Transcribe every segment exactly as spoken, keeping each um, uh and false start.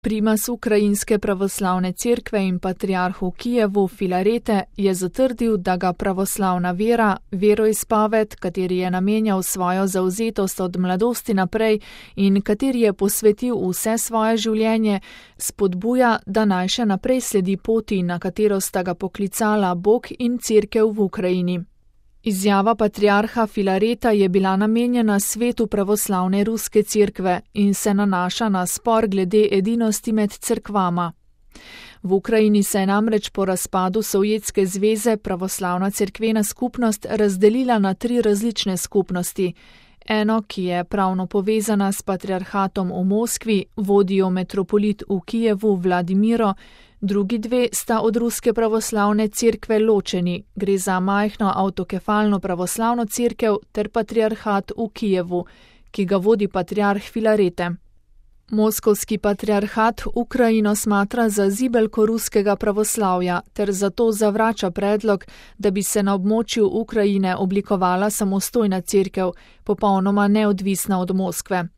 Primas Ukrajinske pravoslavne cerkve in patriarh v Kijevu Filarete je zatrdil, da ga pravoslavna vera, veroizpoved, kateri je namenjal svojo zavzetost od mladosti naprej in kateri je posvetil vse svoje življenje, spodbuja, da naj še naprej sledi poti, na katero sta ga poklicala Bog in cerkev v Ukrajini. Izjava patriarha Filareta je bila namenjena svetu pravoslavne ruske cerkve in se nanaša na spor glede edinosti med cerkvama. V Ukrajini se je namreč po razpadu Sovjetske zveze pravoslavna cerkvena skupnost razdelila na tri različne skupnosti. Eno, ki je pravno povezana s patriarhatom v Moskvi, vodijo metropolit v Kijevu Vladimiro, drugi dve sta od ruske pravoslavne cerkve ločeni, gre za majhno avtokefalno pravoslavno cerkev ter patriarhat v Kijevu, ki ga vodi patriarh Filarete. Moskovski patriarhat Ukrajino smatra za zibelko ruskega pravoslavja ter zato zavrača predlog, da bi se na območju Ukrajine oblikovala samostojna cerkev, popolnoma neodvisna od Moskve.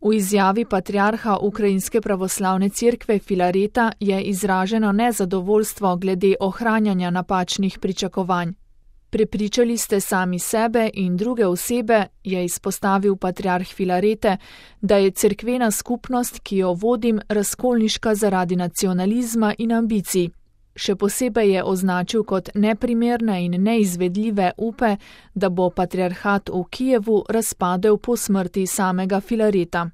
V izjavi patriarha Ukrajinske pravoslavne cerkve Filareta je izraženo nezadovoljstvo glede ohranjanja napačnih pričakovanj. Prepričali ste sami sebe in druge osebe, je izpostavil patriarh Filarete, da je cerkvena skupnost, ki jo vodim, razkolniška zaradi nacionalizma in ambicij. Še posebej je označil kot neprimerne in neizvedljive upe, da bo patriarhat v Kijevu razpadel po smrti samega Filareta.